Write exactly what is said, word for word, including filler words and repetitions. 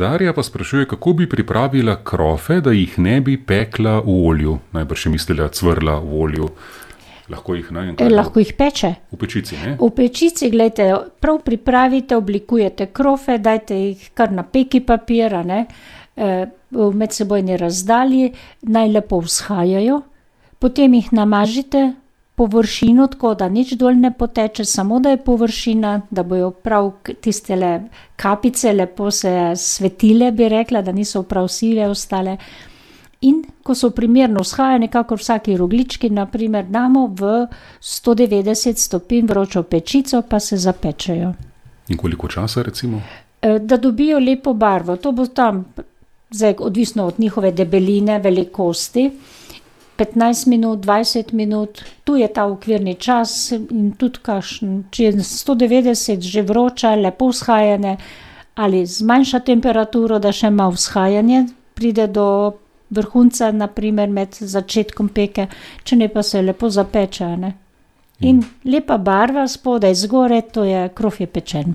Darja pa sprašuje, kako bi pripravila krofe, da jih ne bi pekla v olju. Najbrž je mislila cvrla v olju. Lahko jih, ne? E, lahko jih peče. V pečici, ne? V pečici, gledajte, prav pripravite, oblikujete krofe, dajte jih kar na peki papira, ne, v medsebojni razdalji, naj lepo vzhajajo, potem jih namažite površino, tako da nič dol ne poteče, samo da je površina, da bojo prav tistele kapice lepo se svetile, bi rekla, da niso prav sive ostale. In ko so primerno vzhajane, kakor vsaki rogljički, na primer, damo v sto devetdeset stopinj vročo pečico, pa se zapečejo. In koliko časa, recimo? Da dobijo lepo barvo. To bo tam, zdaj, odvisno od njihove debeline, velikosti, petnajst minut, dvajset minut, tu je ta okvirni čas in tudi kakšen, če je sto devetdeset že vroča, lepo vzhajane, ali zmanjša temperaturo, da še ima vzhajanje, pride do vrhunca, na primer med začetkom peke, če ne pa se lepo zapeče, ne. In lepa barva spodaj zgoraj, to je krof je pečen.